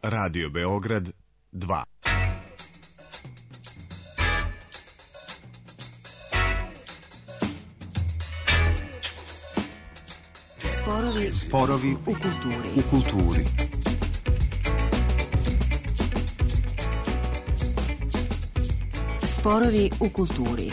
Radio Beograd 2. Sporovi u kulturi. Sporovi u kulturi.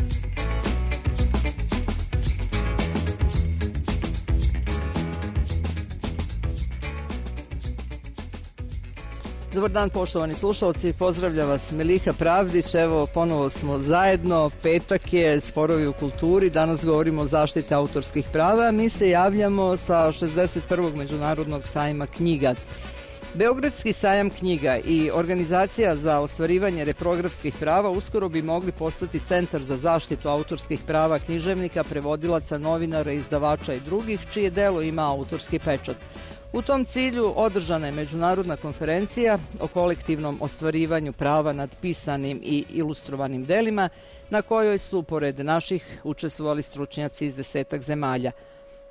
Dobar dan, poštovani slušalci, pozdravlja vas Meliha Pravdić. Evo, ponovo smo zajedno, petak je, Sporovi u kulturi, danas govorimo o zaštiti autorskih prava. Mi se javljamo sa 61. Međunarodnog sajma knjiga. Beogradski sajam knjiga i Organizacija za ostvarivanje reprografskih prava uskoro bi mogli postati centar za zaštitu autorskih prava književnika, prevodilaca, novinara, izdavača i drugih, čije delo ima autorski pečat. U tom cilju održana je međunarodna konferencija o kolektivnom ostvarivanju prava nad pisanim i ilustrovanim delima, na kojoj su, pored naših, učestvovali stručnjaci iz 10 zemalja.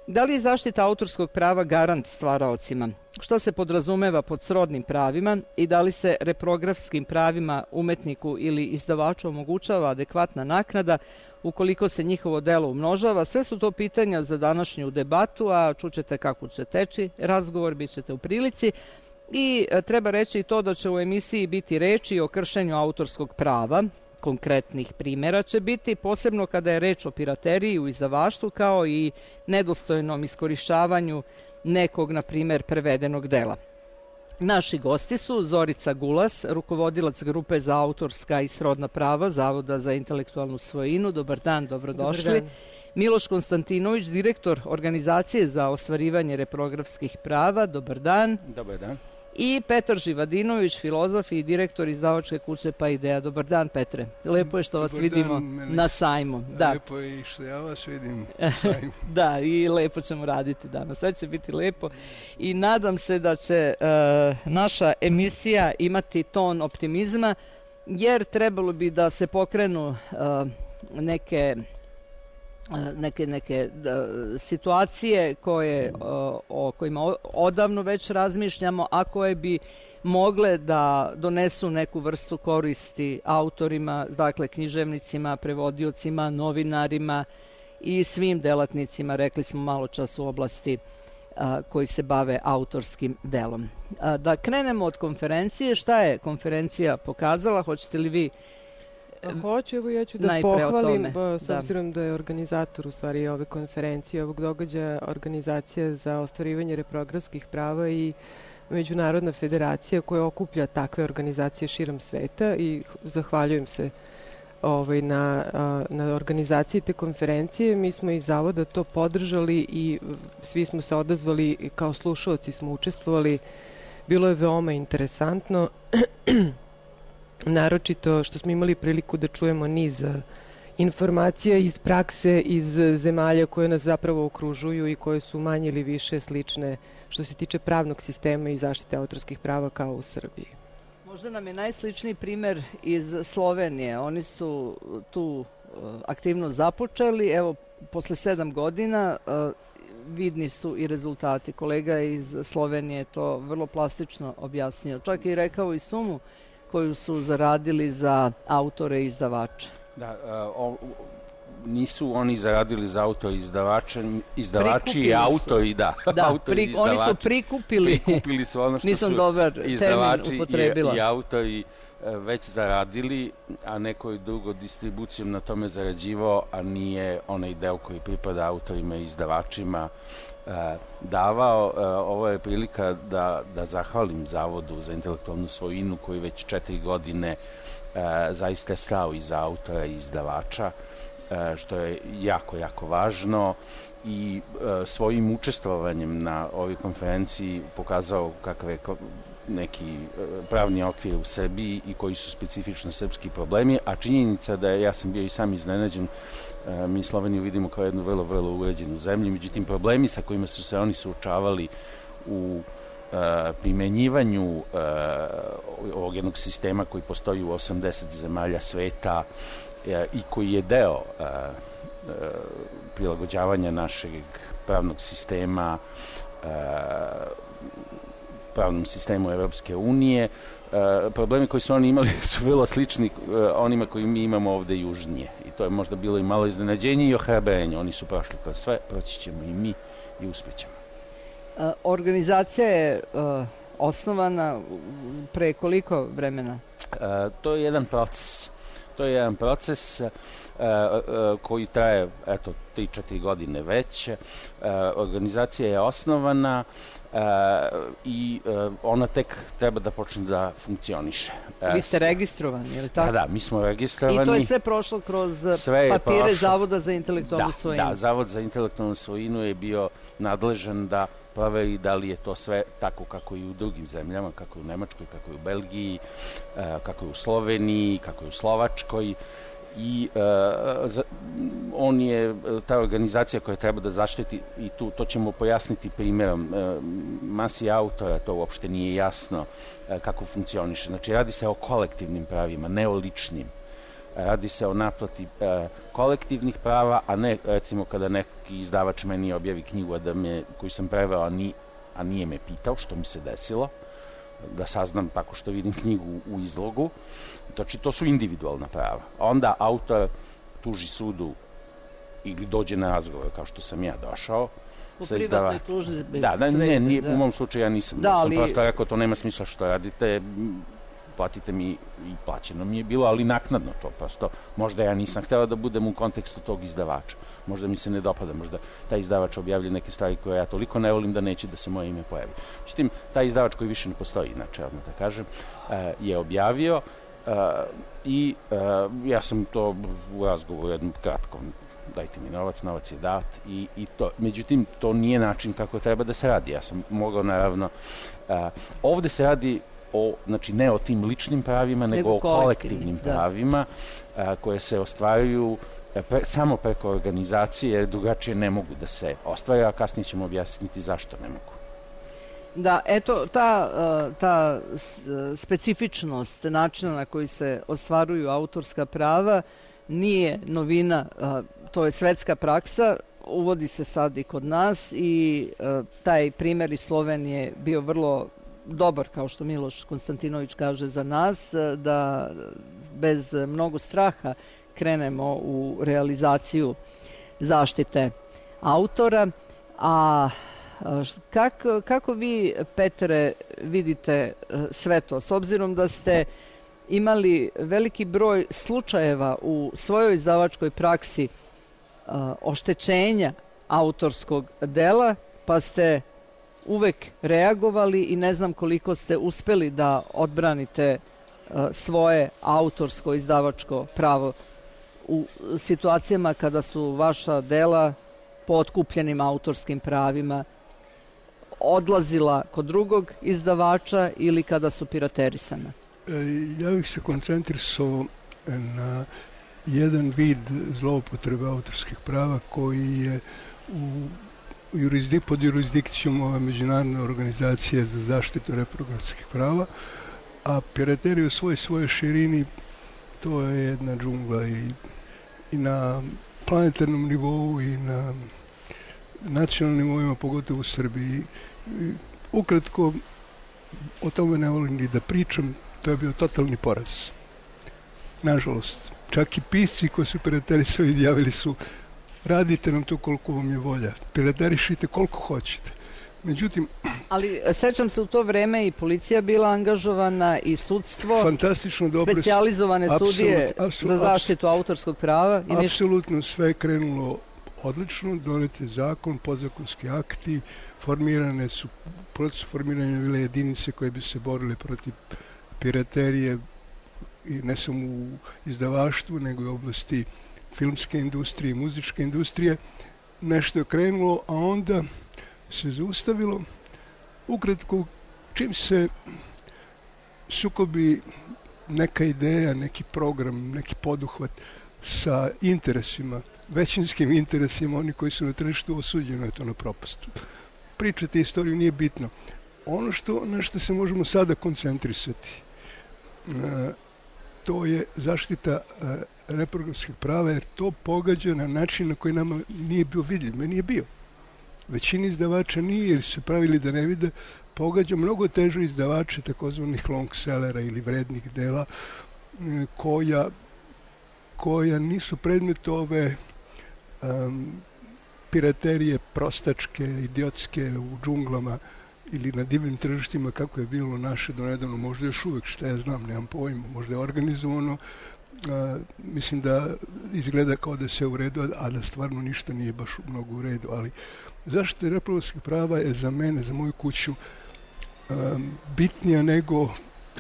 Da li je zaštita autorskog prava garant stvaraocima? Što se podrazumeva pod srodnim pravima i da li se reprografskim pravima umetniku ili izdavaču omogućava adekvatna naknada ukoliko se njihovo delo umnožava? Sve su to pitanja za današnju debatu, a čućete kako će teći razgovor, bit ćete u prilici. I treba reći i to da će u emisiji biti reči o kršenju autorskog prava. Konkretnih primjera će biti, posebno kada je reč o pirateriji u izdavaštvu, kao i nedostojnom iskorišćavanju nekog, na primjer, prevedenog dela. Naši gosti su Zorica Gulas, rukovodilac grupe za autorska i srodna prava Zavoda za intelektualnu svojinu. Dobar dan, dobrodošli. Dobar dan. Miloš Konstantinović, direktor Organizacije za ostvarivanje reprografskih prava. Dobar dan. Dobar dan. I Petar Živadinović, filozof i direktor izdavačke kuće Pa Ideja. Dobar dan, Petre. Lepo je što vas vidimo na sajmu. Da. Lepo je i što ja vas vidim na sajmu. Da, i lepo ćemo raditi danas. Sve će biti lepo i nadam se da će naša emisija imati ton optimizma, jer trebalo bi da se pokrenu neke situacije o kojima odavno već razmišljamo, a koje bi mogle da donesu neku vrstu koristi autorima, dakle književnicima, prevodiocima, novinarima i svim delatnicima, rekli smo malo čas, u oblasti koji se bave autorskim delom. Da krenemo od konferencije. Šta je konferencija pokazala? Hoćete li vi? Hoću, evo ja ću da pohvalim, s obzirom da je organizator u stvari ove konferencije, ovog događaja, Organizacija za ostvarivanje reprografskih prava i Međunarodna federacija koja okuplja takve organizacije širom sveta, i zahvaljujem se na organizaciji te konferencije. Mi smo iz Zavoda to podržali i svi smo se odazvali, kao slušaoci smo učestvovali. Bilo je veoma interesantno. Naročito što smo imali priliku da čujemo niz informacija iz prakse, iz zemalja koje nas zapravo okružuju i koje su manje ili više slične što se tiče pravnog sistema i zaštite autorskih prava kao u Srbiji. Možda nam je najsličniji primer iz Slovenije. Oni su tu aktivno započeli. Evo, posle 7 godina vidni su i rezultati. Kolega iz Slovenije to vrlo plastično objasnio. Čak i rekao i sumu koju su zaradili za autore i izdavače. Da, nisu oni zaradili za auto i izdavači i autori, da. Oni su prikupili su ono što nisam su dobar izdavači i autori već zaradili, a neko drugo distribucijom na tome zarađivao, a nije onaj deo koji pripada autorima i izdavačima davao. Ovo je prilika da zahvalim Zavodu za intelektualnu svojinu koji već 4 godine zaista je stao iza autora i izdavača, što je jako, jako važno, i svojim učestvovanjem na ovoj konferenciji pokazao kakav je neki pravni okvir u Srbiji i koji su specifično srpski problemi, a činjenica da ja sam bio i sam iznenađen. Mi Sloveniju vidimo kao jednu vrlo, vrlo uređenu zemlju, međutim problemi sa kojima su se oni suočavali u primenjivanju ovog jednog sistema koji postoji u 80 zemalja sveta i koji je deo prilagođavanja našeg pravnog sistema pravnom sistemu Evropske unije. Problemi koji su oni imali su vrlo slični onima koji mi imamo ovde južnije. I to je možda bilo i malo iznenađenje i ohrabrenje. Oni su prošli kroz sve, proći ćemo i mi i uspjećemo. Organizacija je osnovana pre koliko vremena? To je jedan proces. To je jedan proces koji traje, 3-4 godine već. Organizacija je osnovana i ona tek treba da počne da funkcioniše. Vi ste registrovani, je li tako? Da, mi smo registrovani. I to je sve prošlo kroz papire Zavoda za intelektualnu svojinu? Da, Zavod za intelektualnu svojinu je bio nadležan da proveri da li je to sve tako kako i u drugim zemljama, kako je u Nemačkoj, kako je u Belgiji, kako je u Sloveniji, kako je u Slovačkoj. I on je ta organizacija koja treba da zaštiti, i to ćemo pojasniti primjerom, masi autora to uopšte nije jasno kako funkcioniše. Znači, radi se o kolektivnim pravima, ne o ličnim. Radi se o naplati kolektivnih prava, a ne, recimo, kada neki izdavač meni objavi knjigu koju sam preveo, a nije me pitao, što mi se desilo, da saznam tako što vidim knjigu u izlogu. Znači, to su individualna prava. Onda autor tuži sudu ili dođe na razgovor, kao što sam ja došao. U privatnoj tužbi? Da, u mom slučaju ja nisam. Sam prosto rekao, to nema smisla što radite, platite mi, i plaćeno mi je bilo, ali naknadno to prosto. Možda ja nisam htela da budem u kontekstu tog izdavača. Možda mi se ne dopada, možda taj izdavač objavlja neke stvari koje ja toliko ne volim da neće da se moje ime pojavi. Međutim, taj izdavač koji više ne postoji, inače, odmah da kažem, je objavio i ja sam to u razgovoru jednom kratkom, dajte mi novac je dat i to. Međutim, to nije način kako treba da se radi. Ja sam mogao, naravno, ovde se radi znači ne o tim ličnim pravima, nego o kolektivnim pravima koje se ostvaruju samo preko organizacije, jer drugačije ne mogu da se ostvaraju, a kasnije ćemo objasniti zašto ne mogu. Da, eto, ta specifičnost načina na koji se ostvaruju autorska prava nije novina, to je svetska praksa, uvodi se sad i kod nas i taj primjer iz Slovenije bio vrlo dobar, kao što Miloš Konstantinović kaže za nas, da bez mnogo straha krenemo u realizaciju zaštite autora. A kako vi, Petre, vidite sve to? S obzirom da ste imali veliki broj slučajeva u svojoj izdavačkoj praksi oštećenja autorskog dela, pa ste uvek reagovali i ne znam koliko ste uspeli da odbranite svoje autorsko izdavačko pravo u situacijama kada su vaša dela po otkupljenim autorskim pravima odlazila kod drugog izdavača ili kada su piraterisana? Ja bih se koncentrisao na jedan vid zloupotrebe autorskih prava koji je pod jurisdikcijom ove međunarodne organizacije za zaštitu reprodukcijskih prava, a piraterija u svojoj širini to je jedna džungla i na planetarnom nivou i na nacionalnim nivoima, pogotovo u Srbiji. Ukratko, o tome ne volim ni da pričam, to je bio totalni poraz. Nažalost, čak i pisci koji su piraterisali javili su: radite nam to koliko vam je volja, piraterišite koliko hoćete. Međutim... Ali sećam se, u to vreme i policija bila angažovana i sudstvo, fantastično dobro, specijalizovane sudije za zaštitu autorskog prava. Apsolutno sve je krenulo odlično, donet je zakon, podzakonski akti, proces formiranja bile jedinice koje bi se borile protiv piraterije, i ne samo u izdavaštvu, nego i u oblasti filmske industrije, muzičke industrije. Nešto je krenulo, a onda se zaustavilo. Ukratko, čim se sukobi neka ideja, neki program, neki poduhvat sa interesima, većinskim interesima, oni koji su na tržištu, osuđeno je to na propast. Pričati istoriju nije bitno. Ono na što se možemo sada koncentrisati, to je zaštita reprodukcijskih prava, jer to pogađa na način na koji nama nije bio vidljiv. Meni je bio. Većini izdavača nije, jer su se pravili da ne vide, pogađa mnogo teže izdavače takozvanih long sellera ili vrednih dela koja nisu predmet ove piraterije prostačke, idiotske u džunglama ili na divnim tržištima kako je bilo naše do nedavno, možda još uvek, šta ja znam, nemam pojma, možda je organizovano, mislim da izgleda kao da se u redu, a da stvarno ništa nije baš mnogo u redu, ali zaštita reprodukcijskih prava je za mene, za moju kuću, bitnija nego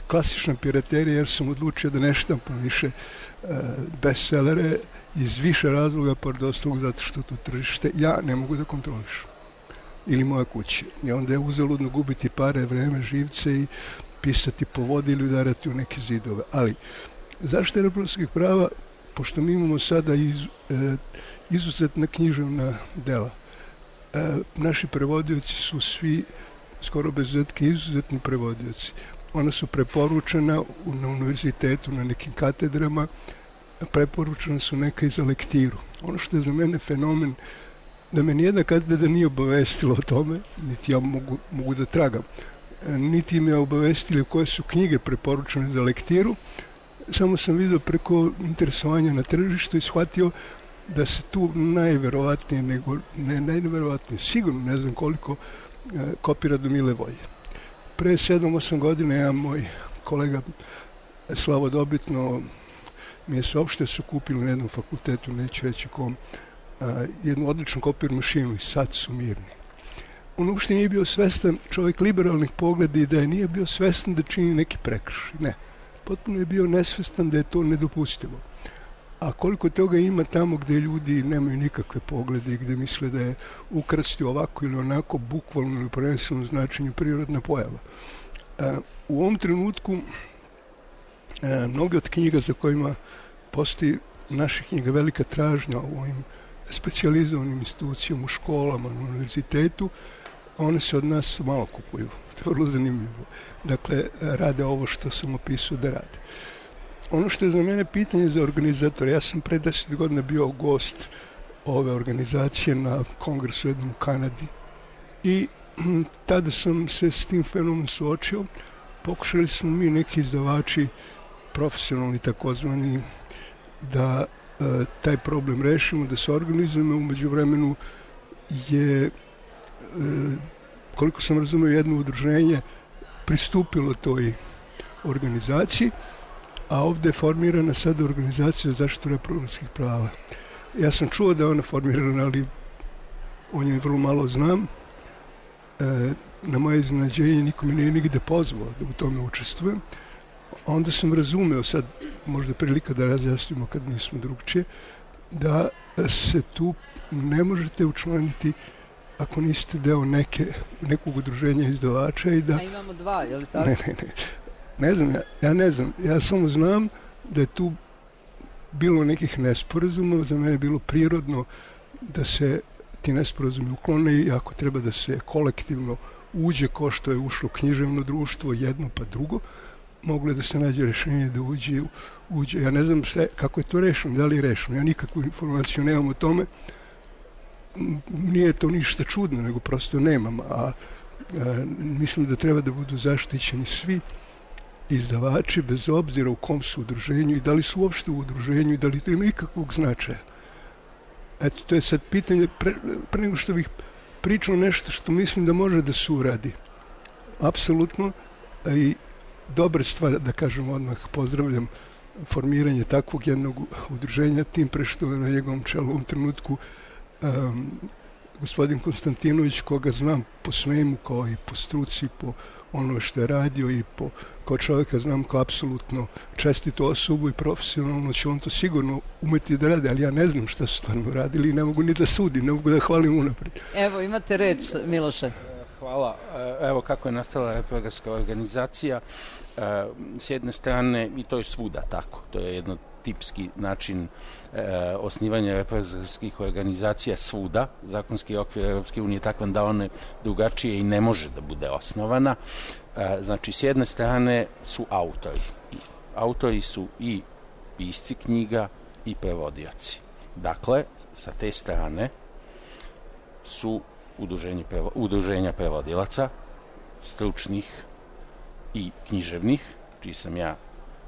klasična piraterija, jer sam odlučio da ne štampam više bestsellere iz više razloga, pored ostalog zato što to tržište ja ne mogu da kontrolišem. Ili moja kuća. I onda je uzaludno gubiti pare, vreme, živce i pisati po vodi ili udarati u neke zidove. Ali zaštita reprodukcijskih prava, pošto mi imamo sada izuzetna književna dela, naši prevodioci su svi, skoro bez izuzetke, izuzetni prevodioci. Ona su preporučena na univerzitetu, na nekim katedrama, preporučena su neka i za lektiru. Ono što je za mene fenomen, da me nijedna katedra nije obavestila o tome, niti ja mogu da tragam, niti me obavestili koje su knjige preporučene za lektiru, samo sam vidio preko interesovanja na tržištu i shvatio da se tu najverovatnije, sigurno ne znam koliko, kopira do mile volje. Pre 7-8 godina ja, moj kolega slavodobitno mi je saopštio, su kupili na jednom fakultetu, neću reći kom, jednu odličnu kopir mašinu i sad su mirni. On uopšte nije bio svestan, čovjek liberalnih pogleda, i da je nije bio svestan da čini neki prekršaj. Ne, potpuno je bio nesvestan da je to nedopustivo. A koliko toga ima tamo gde ljudi nemaju nikakve poglede i gde misle da je ukrasti ovako ili onako, bukvalno ili prenesenom značenju prirodna pojava. U ovom trenutku mnoge od knjiga za kojima postoji naših knjiga velika tražnja u ovim specijalizovanim institucijama, u školama, na univerzitetu, one se od nas malo kupuju. To je vrlo zanimljivo. Dakle, rade ovo što sam opisao da rade. Ono što je za mene pitanje za organizatora, ja sam pre 10 godina bio gost ove organizacije na kongresu jednom u Kanadi i tada sam se s tim fenomenom suočio. Pokušali smo mi, neki izdavači, profesionalni takozvani, da taj problem rešimo, da se organizujemo. Umeđu vremenu je, koliko sam razumio, jedno udruženje pristupilo toj organizaciji, a ovde je formirana sada organizacija za zaštitu reprodukcijskih prava. Ja sam čuo da je ona formirana, ali o njoj vrlo malo znam. Na moje iznenađenje niko me nije nigde pozvao da u tome učestvujem. Onda sam razumeo, sad možda prilika da razjasnimo kad nismo drugčije, da se tu ne možete učlaniti ako niste deo nekog udruženja izdavača i da... A imamo dva, je li tako? Ne znam, ja ne znam. Ja samo znam da je tu bilo nekih nesporazuma, za mene je bilo prirodno da se ti nesporazumi uklone i ako treba da se kolektivno uđe ko što je ušlo književno društvo, jedno pa drugo, moglo je da se nađe rešenje da uđe. Ja ne znam kako je to rešeno, da li je rešeno. Ja nikakvu informaciju nemam o tome. Nije to ništa čudno, nego prosto nemam. A mislim da treba da budu zaštićeni svi izdavači, bez obzira u kom su udruženju i da li su uopšte u udruženju i da li to ima ikakvog značaja. Eto, to je sad pitanje, pre nego što bih pričao nešto što mislim da može da se uradi. Apsolutno, i dobra stvar, da kažem odmah, pozdravljam formiranje takvog jednog udruženja, tim pre što je na njegovom čelu u ovom trenutku gospodin Konstantinović, koga znam po svemu, kao i po struci, po ono što je radio i kao čovjeka znam kao apsolutno čestitu osobu i profesionalno će on to sigurno umeti da radi, ali ja ne znam šta su stvarno radili i ne mogu ni da sudim, ne mogu da hvalim unapred. Evo, imate reč, Miloše. Hvala. Evo kako je nastala reprografska organizacija. S jedne strane, i to je svuda tako, to je jedno tipski način osnivanja reprografskih organizacija svuda. Zakonski okvir Europske unije je takvan da one drugačije i ne može da bude osnovana. Znači, s jedne strane su autori. Autori su i pisci knjiga i prevodioci. Dakle, sa te strane su udruženja prevodilaca, stručnih i književnih, čiji sam ja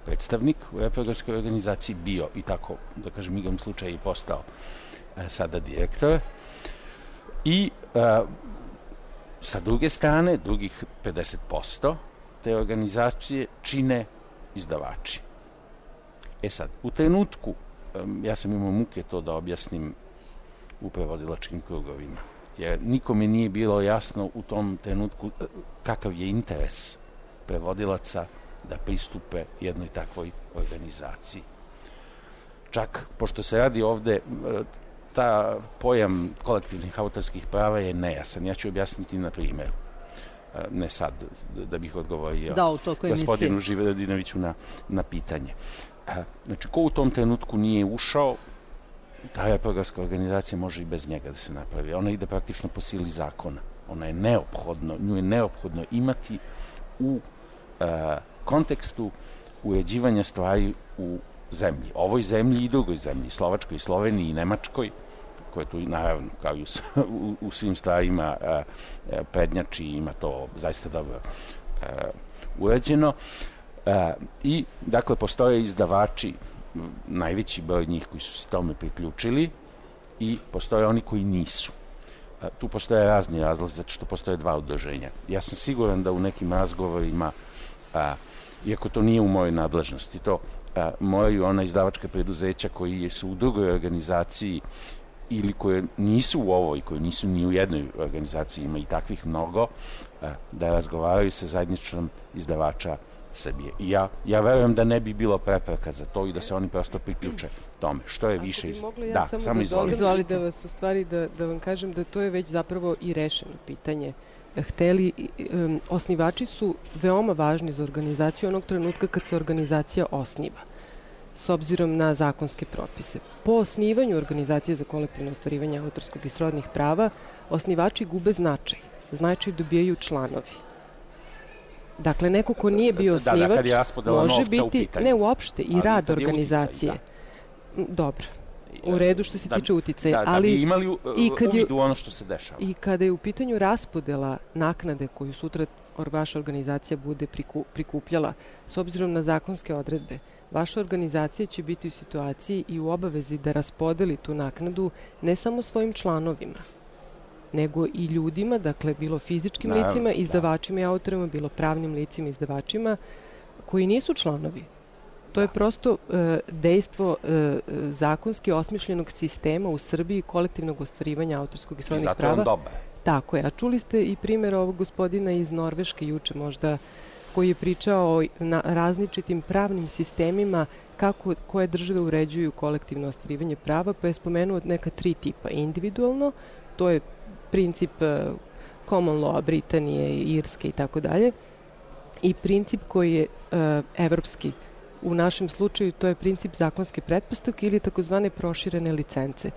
predstavnik u reprogramskoj organizaciji bio i tako, da kažem, igrom slučaja i postao sada direktor. I sa druge strane, drugih 50% te organizacije čine izdavači. Sad, u trenutku, ja sam imao muke to da objasnim u prevodilačkim krugovima, jer nikome nije bilo jasno u tom trenutku kakav je interes prevodilaca da pristupe jednoj takvoj organizaciji. Čak, pošto se radi ovde, ta pojam kolektivnih autorskih prava je nejasan. Ja ću objasniti na primjeru. Ne sad, da bih odgovorio gospodinu Živeradinoviću na pitanje. Znači, ko u tom trenutku nije ušao, ta reprogramska organizacija može i bez njega da se napravi. Ona ide praktično po sili zakona. Nju je neophodno imati u kontekstu uređivanja stvari u zemlji. Ovoj zemlji i drugoj zemlji, Slovačkoj i Sloveniji i Nemačkoj, koje tu naravno kao i u svim stvarima prednjači, ima to zaista dobro uređeno. I, dakle, postoje izdavači, najveći broj njih koji su se tome priključili, i postoje oni koji nisu. Tu postoje razni razlozi, zato što postoje dva udruženja. Ja sam siguran da u nekim razgovorima, iako to nije u mojoj nadležnosti, to moraju ona izdavačka preduzeća koji su u drugoj organizaciji ili koje nisu u ovoj, koje nisu ni u jednoj organizaciji, ima i takvih mnogo, da razgovaraju sa zajedničkom izdavača Srbije. I ja verujem da ne bi bilo prepreka za to i da se oni prosto priključe tome. Što je više... Ako bi mogla ja samo dozvoliti da vas u stvari, da vam kažem da to je već zapravo i rešeno pitanje. Osnivači su veoma važni za organizaciju onog trenutka kad se organizacija osniva, s obzirom na zakonske propise. Po osnivanju organizacije za kolektivno ostvarivanje autorskog i srodnih prava, osnivači gube značaj. Značaj dobijaju članovi. Dakle, neko ko nije bio osnivač može biti, ne uopšte, i rad organizacije. Dobro, u redu što se tiče uticaja. Da bi imali uvid u ono što se dešava. I kada je u pitanju raspodela naknade koju sutra vaša organizacija bude prikupljala, s obzirom na zakonske odredbe, vaša organizacija će biti u situaciji i u obavezi da raspodeli tu naknadu ne samo svojim članovima, nego i ljudima, dakle, bilo fizičkim licima, izdavačima i autorima, bilo pravnim licima, izdavačima, koji nisu članovi. To je prosto dejstvo zakonski osmišljenog sistema u Srbiji kolektivnog ostvarivanja autorskog i srodnih prava. I zato je on dobar. Tako je. A čuli ste i primjer ovog gospodina iz Norveške juče možda, koji je pričao o različitim pravnim sistemima kako koje države uređuju kolektivno ostvarivanje prava, pa je spomenuo neka 3 tipa. Individualno, to je princip common law Britanije, Irske i tako dalje, i princip koji je evropski. U našem slučaju to je princip zakonske pretpostavke ili takozvane proširene licence.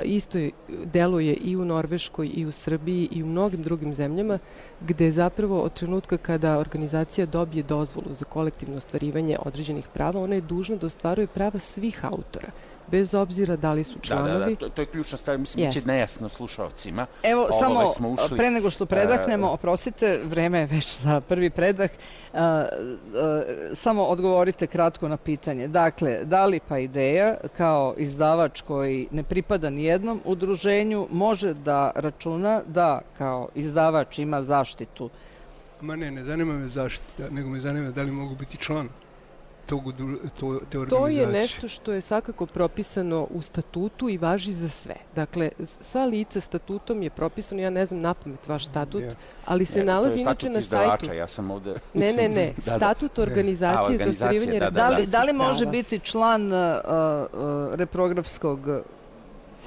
Isto deluje i u Norveškoj i u Srbiji i u mnogim drugim zemljama, gde zapravo od trenutka kada organizacija dobije dozvolu za kolektivno ostvarivanje određenih prava, ona je dužna da ostvaruje prava svih autora, bez obzira da li su članovi. To je ključna stvar, mislim, biće nejasno slušalcima. Evo, samo pre nego što predahnemo, oprostite, vreme je već za prvi predah, samo odgovorite kratko na pitanje. Dakle, da li Paideia kao izdavač koji ne pripada nijednom udruženju može da računa da kao izdavač ima zaštitu? Ne zanima me zaštita, nego me zanima da li mogu biti član te organizacije. To je nešto što je svakako propisano u statutu i važi za sve. Dakle, sva lica statutom je propisano, ja ne znam napamet vaš statut, ali se nalazi inače na sajtu. Ja sam ovde... Ne, statut organizacije za ostvarivanje reprografskih prava. Da li može biti član reprografskog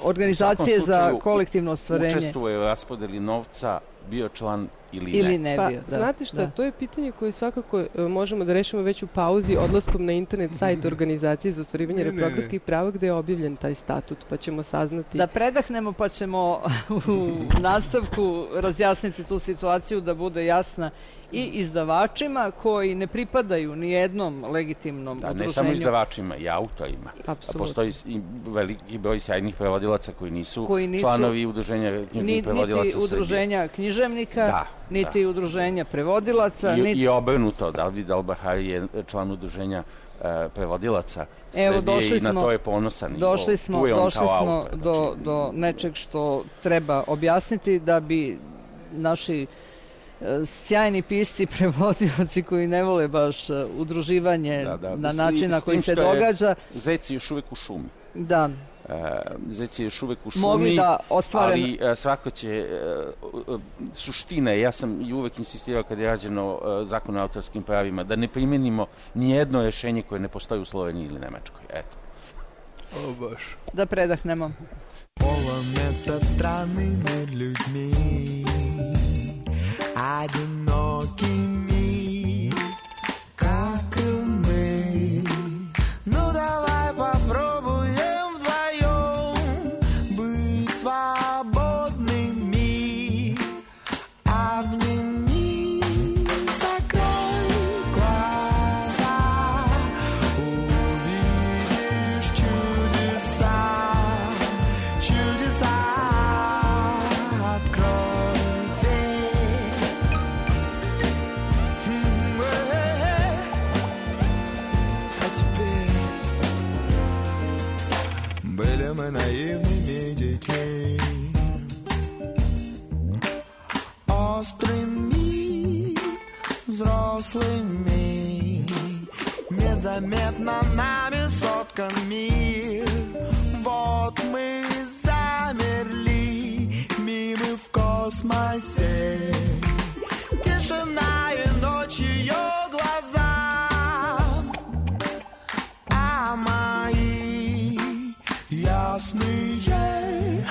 organizacije za kolektivno ostvarenje? Učestvuje u raspodeli novca bio član ili ne. Pa, znate šta, to je pitanje koje svakako možemo da rešimo već u pauzi odlaskom na internet sajt organizacije za ostvarivanje reprogramskih prava gde je objavljen taj statut, pa ćemo saznati. Da predahnemo pa ćemo u nastavku razjasniti tu situaciju da bude jasna i izdavačima koji ne pripadaju ni jednom legitimnom udruženju. Ne samo izdavačima, i autorima. Apsolutno. Postoji i veliki broj sjajnih prevodilaca koji nisu članovi udruženja književnih prevodilaca Srbije. Niti udruženja književnika, niti udruženja prevodilaca. I obrnuto, David Al-Bahari je član udruženja prevodilaca Srbije i na to je ponosan. Došli smo do nečeg što treba objasniti da bi naši sjajni pisci, prevodioci koji ne vole baš udruživanje na način na koji se događa. Zec je još uvek u šumi. Da. Zec je još uvek u šumi, ali svako će, suština je, ja sam i uvek insistirao kad je rađeno zakon o autorskim pravima, da ne primenimo nijedno rešenje koje ne postoji u Sloveniji ili Nemačkoj. Eto. Baš. Da predahnemo. Полон этот странными людьми, одинокими, как и мы. Ну давай попробуем вдвоем быть свободными. Обними, закрой глаза, увидишь чудеса, чудеса. Открой дверь. А теперь были мы наивными детьми, острыми взрослыми, незаметно нами соткан мир. Вот мы замерли, мимы в космосе, тишина и ночь ее глаза, а мои ясные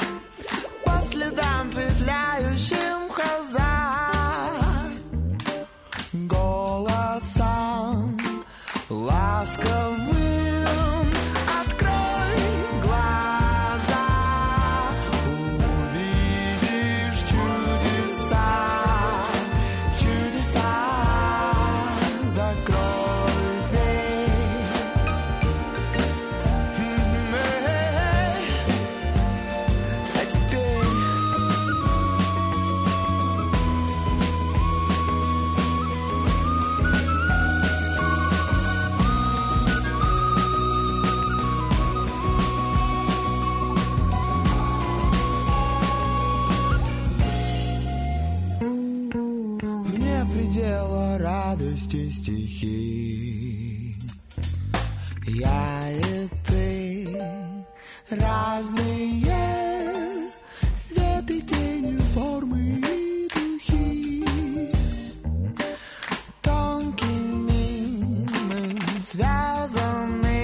по следам петляющим хазар, голосом ласковым. Открой глаза, увидишь чудеса, чудеса. Закрой дверь. А теперь вне предела радости стихи. Я и ты разные, свет и тени, формы и духи. Тонкими мы связаны,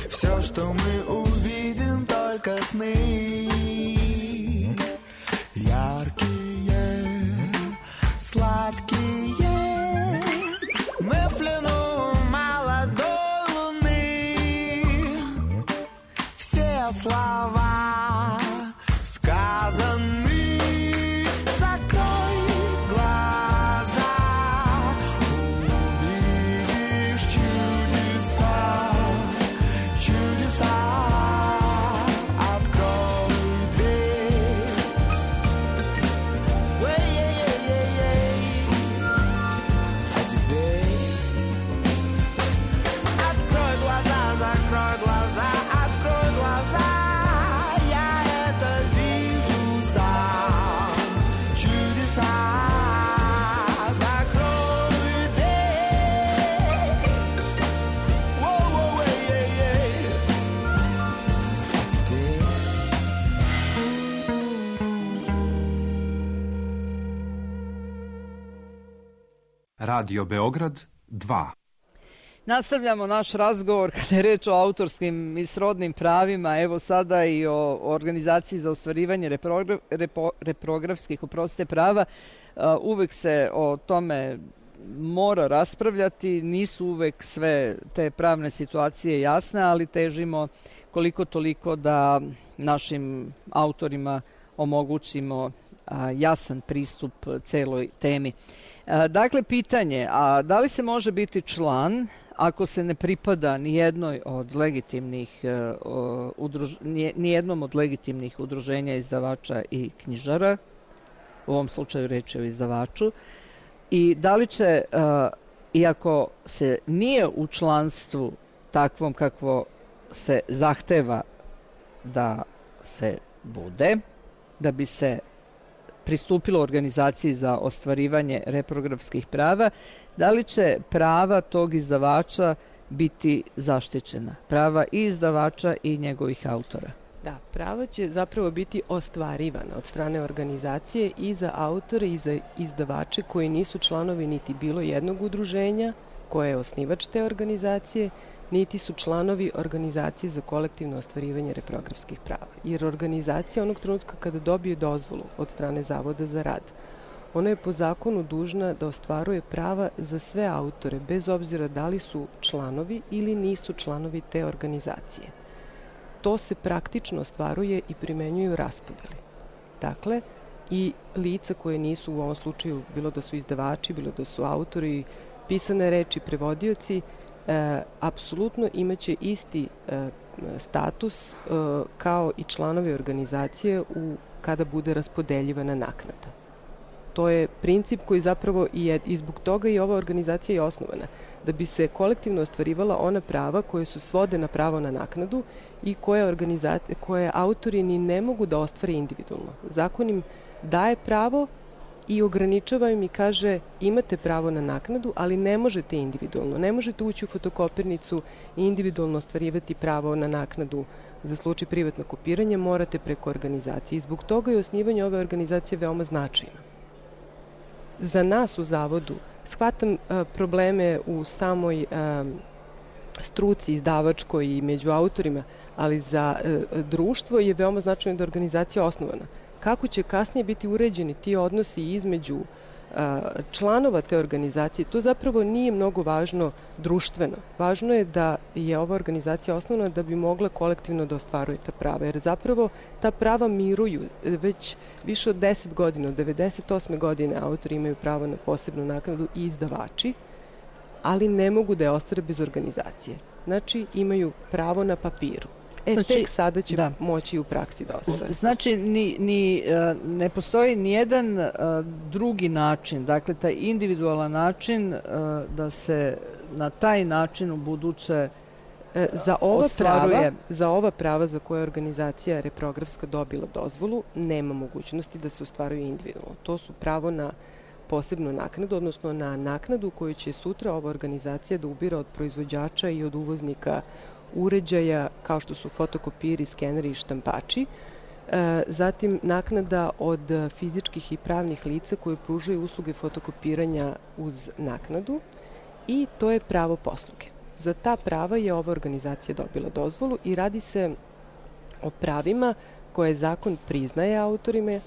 все, что мы увидим, только сны. Яркие, сладкие, мы в плену молодой луны. Все слова сказаны. Закрой глаза, увидишь чудеса, чудеса. Открой дверь. А теперь открой глаза, закрой глаза, открой глаза. Я это вижу сам. Чудеса. Закрой дверь. А теперь Radio Beograd 2. Nastavljamo naš razgovor kada je reč o autorskim i srodnim pravima, evo sada i o organizaciji za ostvarivanje reprografskih prava. Uvek se o tome mora raspravljati, nisu uvek sve te pravne situacije jasne, ali težimo koliko toliko da našim autorima omogućimo jasan pristup celoj temi. Dakle, pitanje, a da li se može biti član ako se ne pripada nijednom od legitimnih udruženja izdavača i knjižara, u ovom slučaju reč je o izdavaču, i da li će, iako se nije u članstvu takvom kakvo se zahteva da se bude, da bi se pristupilo organizaciji za ostvarivanje reprografskih prava, da li će prava tog izdavača biti zaštićena? Prava i izdavača i njegovih autora. Da, prava će zapravo biti ostvarivana od strane organizacije i za autore i za izdavače koji nisu članovi niti bilo jednog udruženja koje je osnivač te organizacije, niti su članovi organizacije za kolektivno ostvarivanje reprografskih prava. Jer organizacija onog trenutka kada dobije dozvolu od strane Zavoda za rad, ona je po zakonu dužna da ostvaruje prava za sve autore, bez obzira da li su članovi ili nisu članovi te organizacije. To se praktično ostvaruje i primenjuju raspodeli. Dakle, i lica koje nisu u ovom slučaju, bilo da su izdavači, bilo da su autori, pisane reči, prevodioci, apsolutno imaće isti status kao i članovi organizacije kada bude raspodeljivana naknada. To je princip koji zapravo i zbog toga i ova organizacija je osnovana, da bi se kolektivno ostvarivala ona prava koje su svode na pravo na naknadu i koje autori ni ne mogu da ostvare individualno. Zakon im daje pravo i ograničava im i kaže imate pravo na naknadu, ali ne možete individualno. Ne možete ući u fotokopirnicu i individualno ostvarivati pravo na naknadu za slučaj privatnog kopiranja, morate preko organizacije. I zbog toga je osnivanje ove organizacije veoma značajno. Za nas u Zavodu shvatam probleme u samoj struci izdavačkoj i među autorima, ali za društvo je veoma značajno da je organizacija osnovana. Kako će kasnije biti uređeni ti odnosi između članova te organizacije, to zapravo nije mnogo važno društveno. Važno je da je ova organizacija osnovna da bi mogla kolektivno da ostvaruje ta prava, jer zapravo ta prava miruju već više od 10 godina, od 98. godine autori imaju pravo na posebnu naknadu i izdavači, ali ne mogu da je ostvare bez organizacije. Znači, imaju pravo na papiru. Tek sada će moći u praksi da ostvare. Znači, ne postoji nijedan drugi način, dakle, taj individualan način da se na taj način u buduće ostvaruje. Za ova prava za koje je organizacija reprografska dobila dozvolu, nema mogućnosti da se ostvaruje individualno. To su pravo na posebnu naknadu, odnosno na naknadu koju će sutra ova organizacija da ubira od proizvođača i od uvoznika uređaja kao što su fotokopiri, skeneri i štampači. Zatim naknada od fizičkih i pravnih lica koje pružaju usluge fotokopiranja uz naknadu i to je pravo posluge. Za ta prava je ova organizacija dobila dozvolu i radi se o pravima koje zakon priznaje autorima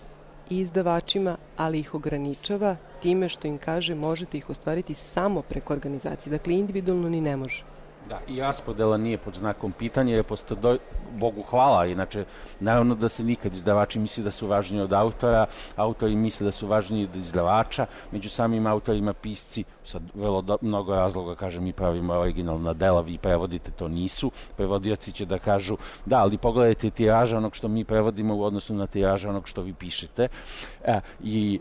i izdavačima, ali ih ograničava time što im kaže možete ih ostvariti samo preko organizacije. Dakle, individualno ni ne može. Da, i raspodela nije pod znakom pitanja, jer Bogu hvala, inače, naravno da se nikad izdavači misli da su važniji od autora, autori misle da su važniji od izdavača, među samim autorima pisci, sad vrlo mnogo razloga, kažem, mi pravimo originalna dela, vi prevodite, to nisu, prevodioci će da kažu, da, ali pogledajte tiraža onog što mi prevodimo u odnosu na tiraža onog što vi pišete, i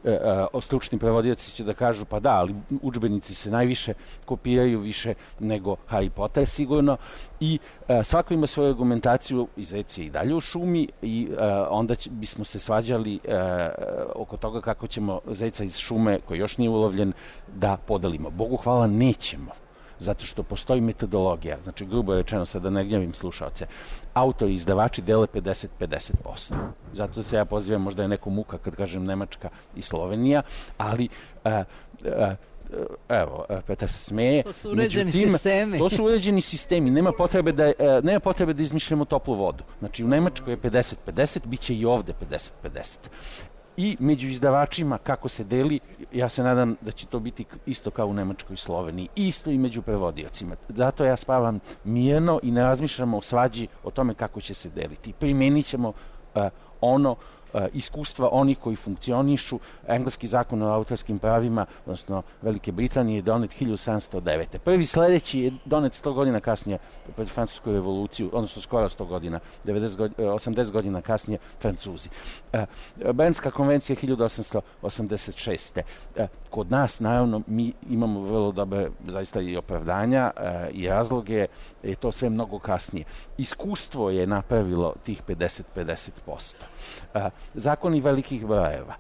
stručni prevodioci će da kažu, pa da, ali udžbenici se najviše kopiraju više nego Harry Potter sigurno, i svako ima svoju argumentaciju, i zec je i dalje u šumi, i onda bismo se svađali oko toga kako ćemo zeca iz šume, koji još nije ulovljen, da podelimo. Bogu hvala, nećemo. Zato što postoji metodologija, znači grubo rečeno, sad da ne gnjavim slušaoce, autori i izdavači dele 50-50%. Zato se ja pozivam, možda je neko muka kad kažem Nemačka i Slovenija, ali evo, Petar se smeje. To su uređeni sistemi. To su uređeni sistemi, nema potrebe da izmišljamo toplu vodu. Znači u Nemačkoj je 50-50, bit će i ovde 50-50. I među izdavačima kako se deli, ja se nadam da će to biti isto kao u Nemačkoj i Sloveniji, isto i među prevodiocima. Zato ja spavam mirno i ne razmišljamo o svađi o tome kako će se deliti. Primenit ćemo iskustva onih koji funkcionišu. Engleski zakon o autorskim pravima, odnosno Velike Britanije, je donet 1709. Prvi sledeći je donet 100 godina kasnije pred Francusku revoluciju, odnosno skoro 100 godina, 80 godina kasnije Francuzi. Bernska konvencija 1886. Kod nas, naravno, mi imamo vrlo dobre zaista i opravdanja i razloge, je to sve mnogo kasnije. Iskustvo je napravilo tih 50-50%. Zakoni velikih brojeva.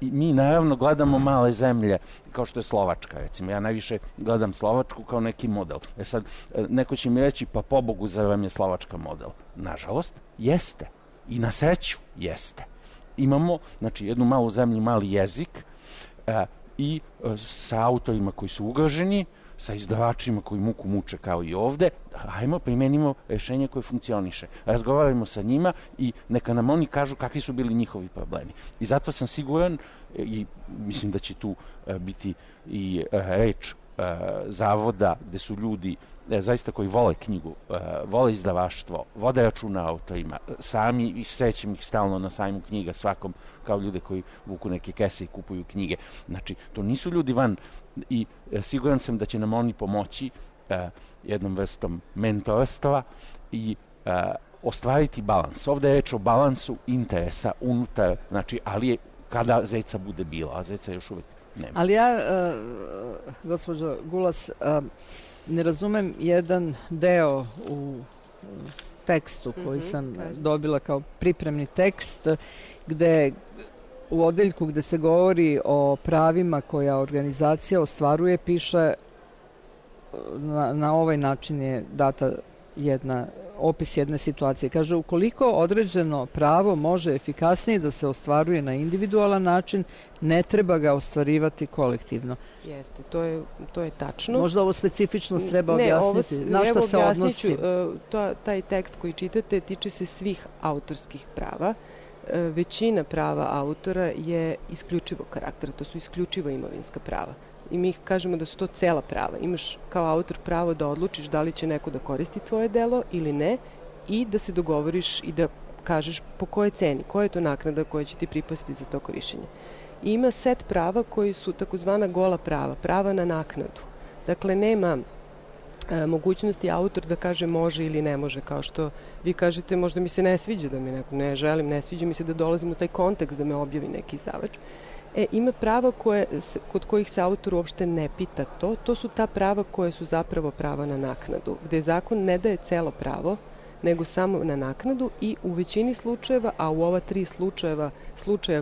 Mi naravno gledamo male zemlje, kao što je Slovačka, recimo. Ja najviše gledam Slovačku kao neki model. Sad, neko će mi reći, pa pobogu, zar vam je Slovačka model? Nažalost, jeste. I na sreću, jeste. Imamo, znači, jednu malu zemlju, mali jezik i sa autorima koji su ugroženi, sa izdavačima koji muku muče kao i ovde, hajmo, primenimo rešenje koje funkcioniše. Razgovarajmo sa njima i neka nam oni kažu kakvi su bili njihovi problemi. I zato sam siguran i mislim da će tu biti i reč zavoda gde su ljudi zaista koji vole knjigu, vole izdavaštvo, vode računa autorima, sami i srećem ih stalno na sajmu knjiga svakom, kao ljude koji vuku neke kese i kupuju knjige. Znači, to nisu ljudi van i siguran sam da će nam oni pomoći jednom vrstom mentorstva i ostvariti balans. Ovde je reč o balansu interesa unutar, znači, ali je kada zeca bude bilo, a zeca još uvek nema. Ali ja, gospođo Gulas, ne razumem jedan deo u tekstu koji sam dobila kao pripremni tekst, gde u odeljku gde se govori o pravima koja organizacija ostvaruje, piše na ovaj način je data opis jedne situacije. Kaže, ukoliko određeno pravo može efikasnije da se ostvaruje na individualan način, ne treba ga ostvarivati kolektivno. Jeste, to je tačno. Možda ovo specifičnost treba objasniti. Na šta se odnosi? Taj tekst koji čitate tiče se svih autorskih prava. Većina prava autora je isključivog karaktera, to su isključivo imovinska prava. I mi kažemo da su to cela prava. Imaš kao autor pravo da odlučiš da li će neko da koristi tvoje delo ili ne i da se dogovoriš i da kažeš po kojoj ceni, koja je to naknada koja će ti pripasti za to korišćenje. I ima set prava koji su takozvana gola prava, prava na naknadu. Dakle, nema mogućnosti autor da kaže može ili ne može, kao što vi kažete, možda mi se ne sviđa da mi neko ne želim, ne sviđa mi se da dolazim u taj kontekst da me objavi neki izdavač. Ima prava kod kojih se autor uopšte ne pita to. To su ta prava koje su zapravo prava na naknadu, gde zakon ne daje celo pravo, nego samo na naknadu i u većini slučajeva, a u ova 3 slučaja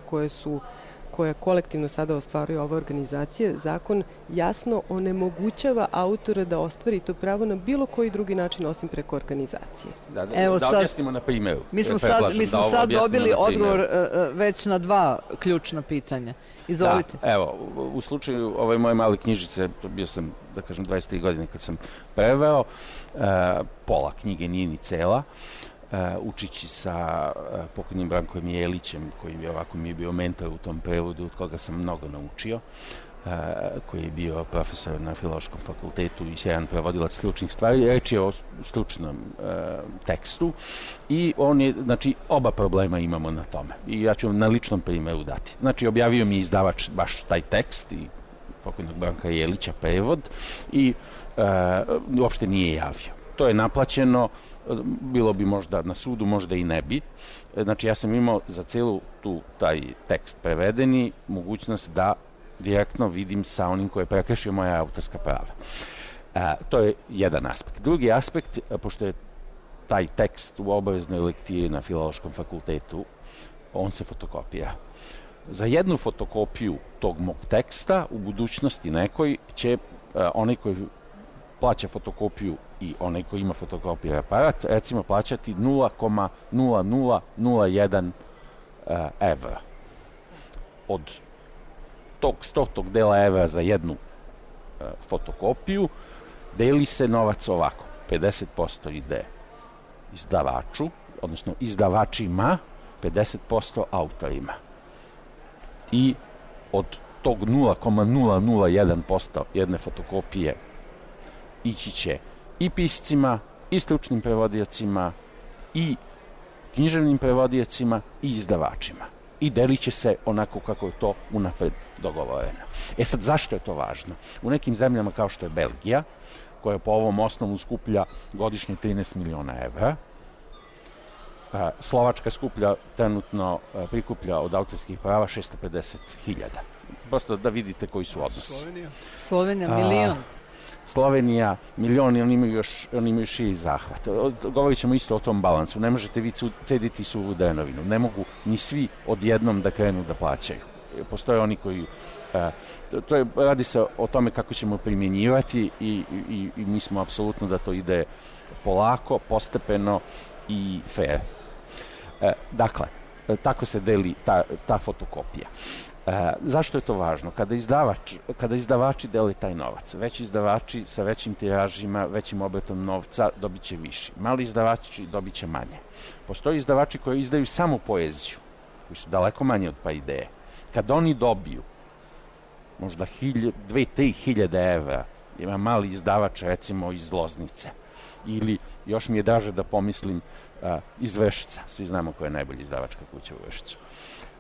koje kolektivno sada ostvaruje ova organizacija, zakon jasno onemogućava autora da ostvari to pravo na bilo koji drugi način osim preko organizacije. Da objasnimo na primjeru. Mi smo sad dobili odgovor već na 2 ključna pitanja. Izvolite. Da, evo, u slučaju ove moje male knjižice, bio sam, da kažem, 23 godine kad sam preveo, pola knjige nije ni cela, učići sa pokojnim Brankom Jelićem, koji mi je bio mentor u tom prevodu, od koga sam mnogo naučio, koji je bio profesor na Filološkom fakultetu i sjajan prevodilac stručnih stvari. Reč je o stručnom tekstu i on je, znači, oba problema imamo na tome. I ja ću vam na ličnom primjeru dati. Znači, objavio mi izdavač baš taj tekst i pokojnog Branka Jelića prevod i uopšte nije javio. To je naplaćeno, bilo bi možda na sudu, možda i ne bi. Znači, ja sam imao za celu taj tekst prevedeni mogućnost da direktno vidim sa onim koji je prekršio moja autorska prava. To je jedan aspekt. Drugi aspekt, pošto je taj tekst u obaveznoj lektiri na Filološkom fakultetu, on se fotokopira. Za jednu fotokopiju tog mog teksta u budućnosti nekoj će onaj koji plaća fotokopiju i onaj koji ima fotokopijski aparat, recimo plaćati 0,0001 evra. Od tog 100 dela evra za jednu fotokopiju deli se novac ovako. 50% ide izdavaču, odnosno izdavačima, 50% autorima. I od tog 0,001% jedne fotokopije ići će i piscima, i stručnim prevodiocima, i književnim prevodiocima, i izdavačima. I delit će se onako kako je to unapred dogovoreno. Sad, zašto je to važno? U nekim zemljama kao što je Belgija, koja po ovom osnovu skuplja godišnje 13 miliona evra, Slovačka trenutno prikuplja od autorskih prava 650.000. Prosto da vidite koji su odnosi. Slovenija milion. Slovenija milion i oni imaju širi zahvat. Govorit ćemo isto o tom balansu. Ne možete vi cediti suvu drenovinu. Ne mogu ni svi odjednom da krenu da plaćaju. Postoje oni koji... radi se o tome kako ćemo primjenjivati i mi smo apsolutno da to ide polako, postepeno i fair. Dakle, tako se deli ta fotokopija. Zašto je to važno? Kada izdavači dele taj novac, veći izdavači sa većim tiražima, većim obratom novca dobit će više. Mali izdavači dobit će manje. Postoje izdavači koji izdaju samo poeziju, koji su daleko manje od pa ideje. Kad oni dobiju možda 2-3 hiljade evra, ima mali izdavač recimo iz Loznice, ili još mi je draže da pomislim iz Vršca, svi znamo koja je najbolja izdavačka kuća u Vršcu.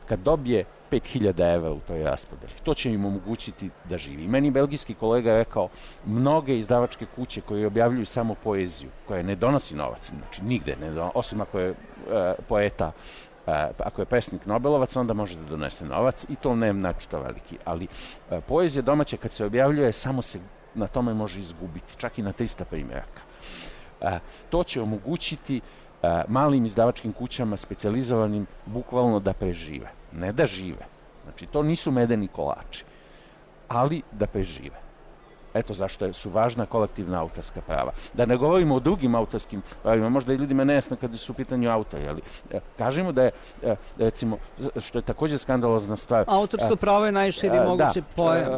Kad dobije 5.000 evra u toj raspodeli, to će im omogućiti da živi. Meni belgijski kolega je rekao, mnoge izdavačke kuće koje objavljuju samo poeziju, koja ne donosi novac, znači nigde ne donosi, osim ako je poeta, ako je pesnik Nobelovac, onda može da donese novac i to ne znači to veliki. Ali poezija domaća kad se objavljuje, samo se na tome može izgubiti, čak i na 300 primjeraka. To će omogućiti malim izdavačkim kućama specijalizovanim bukvalno da prežive. Ne da žive. Znači, to nisu medeni kolači, ali da prežive. Eto zašto su važna kolektivna autorska prava. Da ne govorimo o drugim autorskim pravima, možda i ljudima nejasno kada su u pitanju autori, ali kažemo da je, recimo, što je također skandalozna stvar... Autorsko pravo je najširi mogući pojam.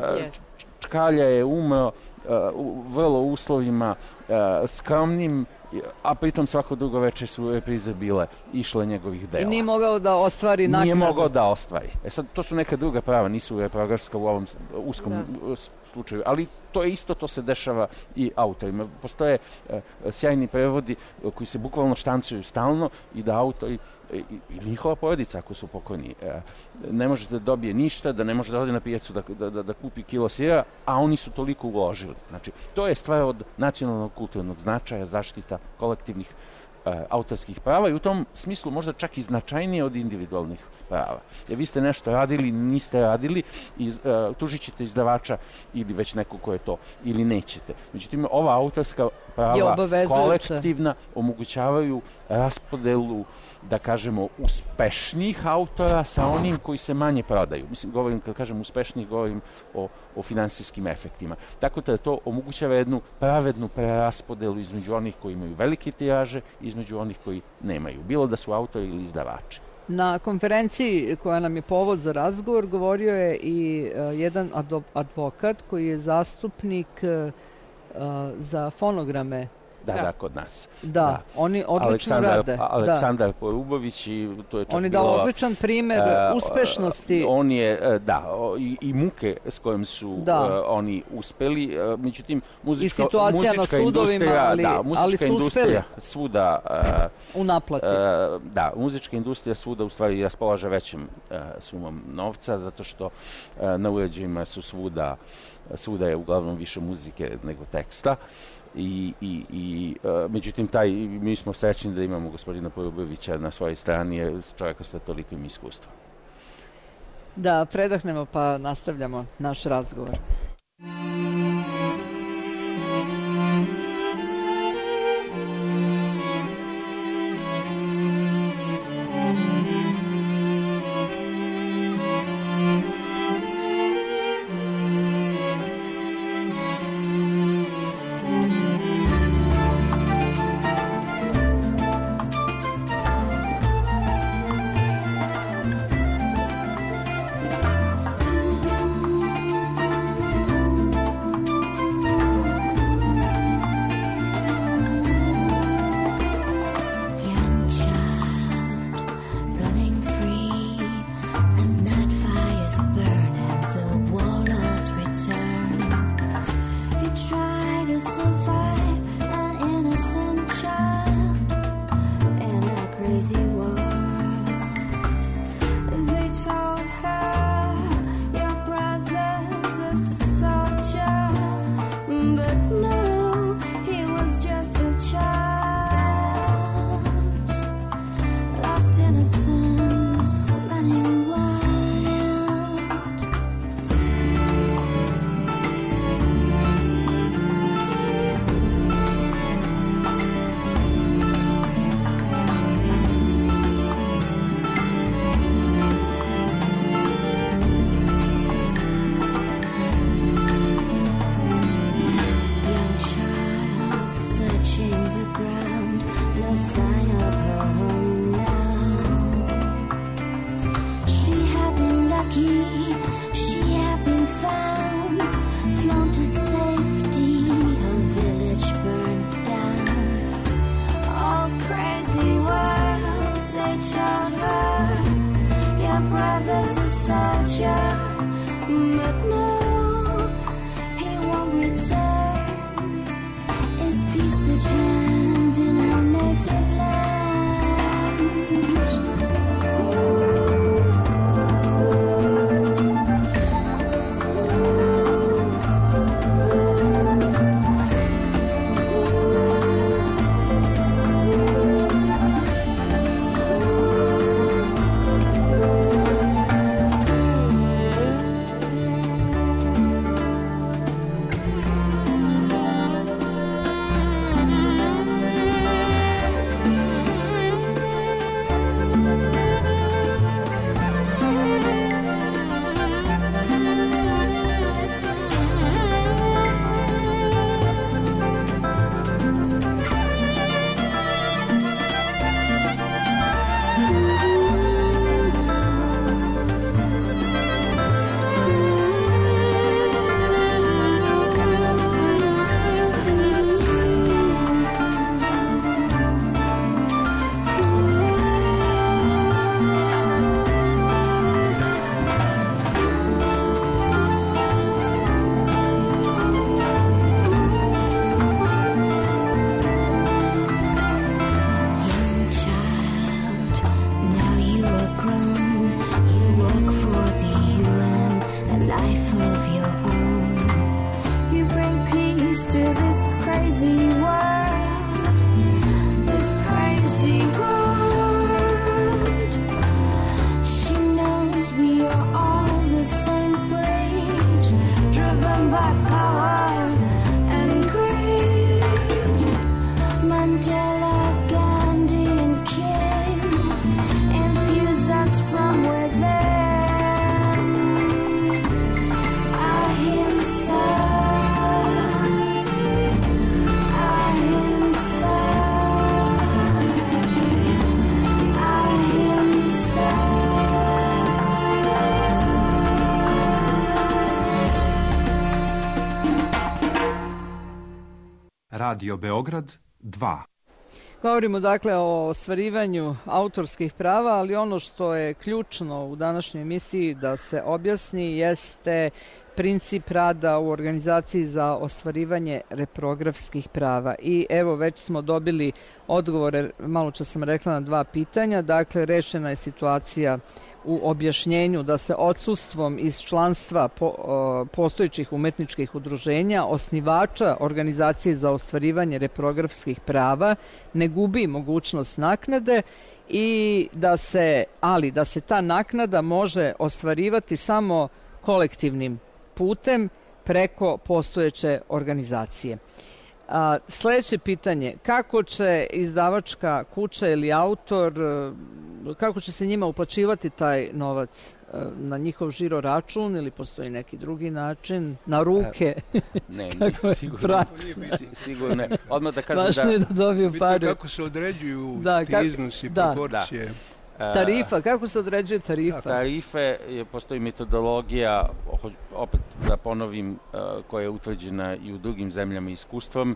Čkalja je umro u vrlo uslovima skromnim, a pritom svako drugo večer su reprize bile išle njegovih dela. I nije mogao da ostvari naknadu. Nije mogao da ostvari. Sad, to su neka druga prava, nisu reprografska u ovom uskom slučaju, ali to je isto, to se dešava i autorima. Postoje sjajni prevodi koji se bukvalno štancuju stalno i da autori ili njihova porodica, ako su pokojni, ne može da dobije ništa, da ne može da ode na pijacu da kupi kilo sira, a oni su toliko uložili. Znači, to je stvar od nacionalnog kulturnog značaja, zaštita kolektivnih autorskih prava i u tom smislu možda čak i značajnije od individualnih prava. Jer vi ste nešto radili, niste radili i tužit ćete izdavača ili već neko ko je to, ili nećete. Međutim, ova autorska prava kolektivna omogućavaju raspodelu, da kažemo, uspešnijih autora sa onim koji se manje prodaju. Mislim, kad kažem uspešnijih, govorim o finansijskim efektima. Tako da to omogućava jednu pravednu preraspodelu između onih koji imaju velike tiraže i između onih koji nemaju. Bilo da su autori ili izdavači. Na konferenciji koja nam je povod za razgovor govorio je i jedan advokat koji je zastupnik za fonograme. Da, kod nas. Da, oni odlično rade. Aleksandar Porubović i to je čak oni bilo... odličan primjer uspešnosti. On je, i muke s kojim su oni uspeli, međutim, muzička industrija svuda u naplati. Da, muzička industrija svuda u stvari raspolaže većim sumom novca, zato što na uređajima su svuda je uglavnom više muzike nego teksta. Međutim, mi smo srećni da imamo gospodina Porubovića na svojoj strani, čovjeka sa tolikim iskustvom. Da, predahnemo pa nastavljamo naš razgovor. no sign of her home now. She had been lucky, she had been found, flown to safety, her village burned down. Oh, crazy world, they told her, your brother's a soldier, but no, he won't return. His peace at hand in her native land. Radio Beograd 2. Govorimo dakle o ostvarivanju autorskih prava, ali ono što je ključno u današnjoj emisiji da se objasni jeste princip rada u organizaciji za ostvarivanje reprografskih prava. I evo već smo dobili odgovore, malo čas sam rekla, na 2 pitanja. Dakle, rešena je situacija u objašnjenju da se odsustvom iz članstva postojećih umetničkih udruženja osnivača organizacije za ostvarivanje reprografskih prava ne gubi mogućnost naknade i da se ta naknada može ostvarivati samo kolektivnim putem preko postojeće organizacije. Sljedeće pitanje, kako će izdavačka kuća ili autor, kako će se njima uplaćivati taj novac? Na njihov žiro račun ili postoji neki drugi način? Na ruke? Ne, sigurno ne. Odmah da kažem važno je da dobiju pare. Kako se određuju ti iznosi, proporcije? Tarifa, kako se određuje tarifa? Tarife, postoji metodologija, opet da ponovim, koja je utvrđena i u drugim zemljama iskustvom.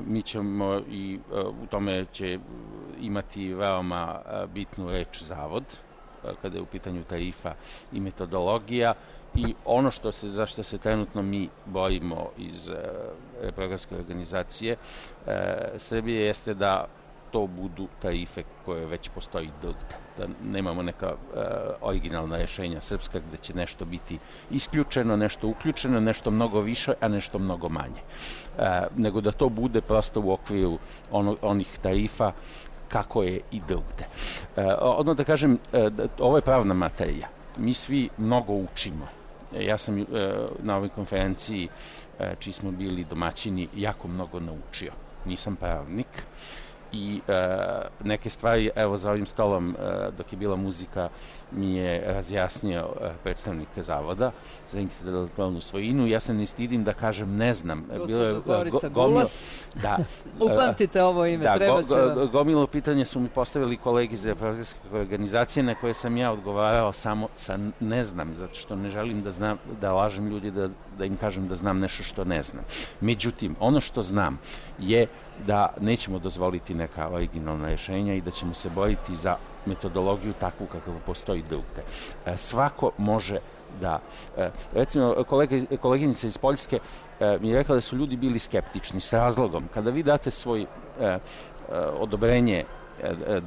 Mi ćemo i u tome će imati veoma bitnu reč Zavod, kada je u pitanju tarifa i metodologija. I ono za što se trenutno mi borimo iz reprografske organizacije Srbije jeste da to budu tarife koje već postoji drugde. Da nemamo neka originalna rješenja srpska gde će nešto biti isključeno, nešto uključeno, nešto mnogo više, a nešto mnogo manje. Nego da to bude prosto u okviru onih tarifa kako je i drugde. Odmah da kažem, ovo je pravna materija. Mi svi mnogo učimo. Ja sam na ovoj konferenciji, čiji smo bili domaćini, jako mnogo naučio. Nisam pravnik i neke stvari, evo za ovim stolom dok je bila muzika mi je razjasnio predstavnik zavoda za intelektualnu svojinu. Ja se ne stidim da kažem ne znam. Bilo je Gulas. Da. Upamtite ovo ime, treba će vam. Gomilo pitanje su mi postavili kolegi iz reprografske organizacije na koje sam ja odgovarao samo sa ne znam, zato što ne želim da znam, da lažem ljudi, da im kažem da znam nešto što ne znam. Međutim, ono što znam je da nećemo dozvoliti neka originalna rješenja i da ćemo se boriti za metodologiju takvu kakva postoji drugde. Svako može da... Recimo, koleginica iz Poljske mi je rekla da su ljudi bili skeptični s razlogom. Kada vi date svoj odobrenje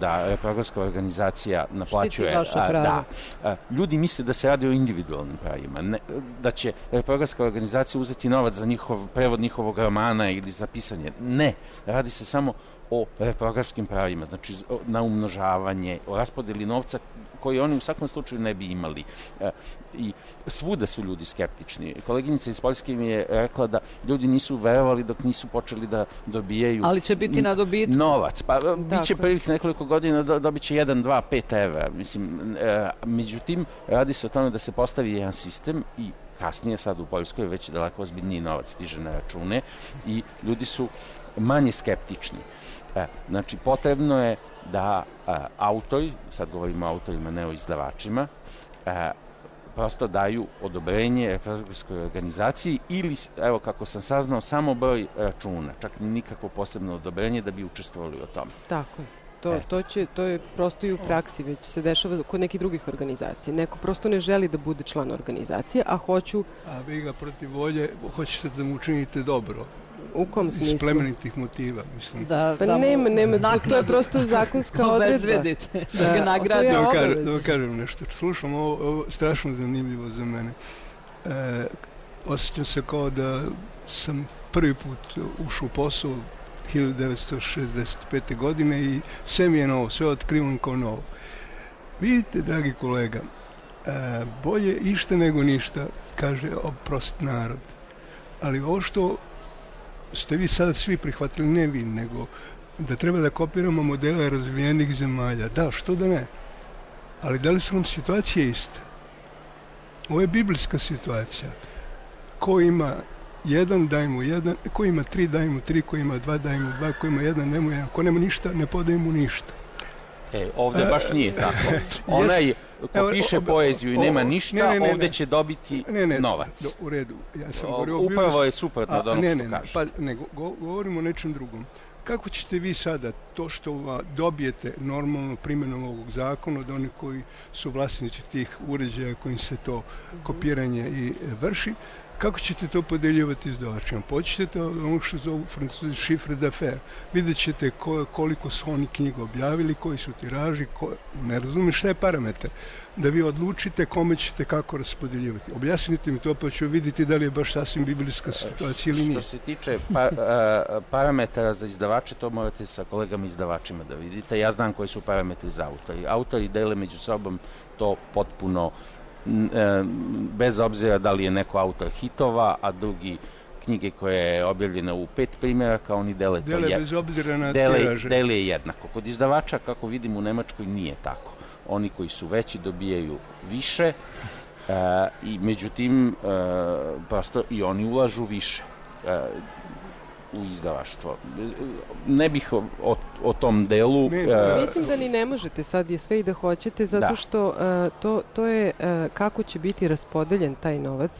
da reprografska organizacija naplaćuje, ljudi misle da se radi o individualnim pravima, da će reprografska organizacija uzeti novac za prevod njihovog romana ili za pisanje. Ne, radi se samo o reprografskim pravima, znači na umnožavanje, o raspodeli novca koji oni u svakom slučaju ne bi imali. I svuda su ljudi skeptični. Koleginica iz Poljske mi je rekla da ljudi nisu verovali dok nisu počeli da dobijaju... Ali će biti na dobitku. Novac. Pa biće prvih nekoliko godina dobit će 1, 2, 5 evra. Mislim, međutim, radi se o tome da se postavi jedan sistem i kasnije sad u Poljskoj već daleko ozbiljniji novac stiže na račune i ljudi su manje skeptični. Znači, potrebno je da autori, sad govorimo o autorima, ne o izdavačima, prosto daju odobrenje reprografskoj organizaciji ili, evo kako sam saznao, samo broj računa, čak nikakvo posebno odobrenje da bi učestvovali u tome. Tako je. To je prosto i u praksi, već se dešava kod nekih drugih organizacija. Neko prosto ne želi da bude član organizacije, a hoću... A vi ga protiv volje, hoćete da mu učinite dobro. U kom smislu? Iz plemenitih motiva, mislim. Nema, to je prosto zakonska odredba. Obezvedite, da ga nagradi. Da vam kažem nešto. Slušam, ovo strašno zanimljivo za mene. Osjećam se kao da sam prvi put ušao u posao 1965. godine i sve mi je novo, sve otkrivam kao novo. Vidite, dragi kolega, bolje išta nego ništa, kaže prost narod. Ali ovo što ste vi sada svi prihvatili, ne vi, nego da treba da kopiramo modele razvijenih zemalja. Da, što da ne? Ali da li su nam situacije iste? Ovo je biblijska situacija. Ko ima jedan, daj mu jedan, ko ima 3, daj mu 3, ko ima 2, daj mu 2, ko ima 1, ne mu 1, ko nema ništa, ne podaj mu ništa. Ovdje baš nije tako. Onaj ko piše poeziju i nema ništa, ovdje će dobiti novac. U redu. Ja sam upravo je suprotno od onog što kažeš. Pa ne, govorimo o nečem drugom. Kako ćete vi sada to što dobijete normalno primjenom ovog zakona od onih koji su vlasnici tih uređaja kojim se to kopiranje i vrši, kako ćete to podeljivati izdavačima? Počnete ono što zovu Francuzi chiffre d'affaires. Vidjet ćete koliko su oni knjiga objavili, koji su tiraži, ne razumiješ šta je parametar. Da vi odlučite kome ćete kako raspodeljivati. Objasnite mi to pa ću vidjeti da li je baš sasvim biblijska situacija ili nije. Što se tiče parametara za izdavače, to morate sa kolegama izdavačima da vidite. Ja znam koji su parametri za autori. Autori dele među sobom to potpuno bez obzira da li je neko autor hitova, a drugi knjige koje je objavljena u 5 primjeraka, oni dele bez obzira na tiraže. Dele jednako. Kod izdavača, kako vidim u Nemačkoj, nije tako. Oni koji su veći dobijaju više i međutim prosto i oni ulažu više u izdavaštvo. Ne bih o tom delu... Mislim da ni ne možete, sad je sve i da hoćete, zato što to je kako će biti raspodeljen taj novac,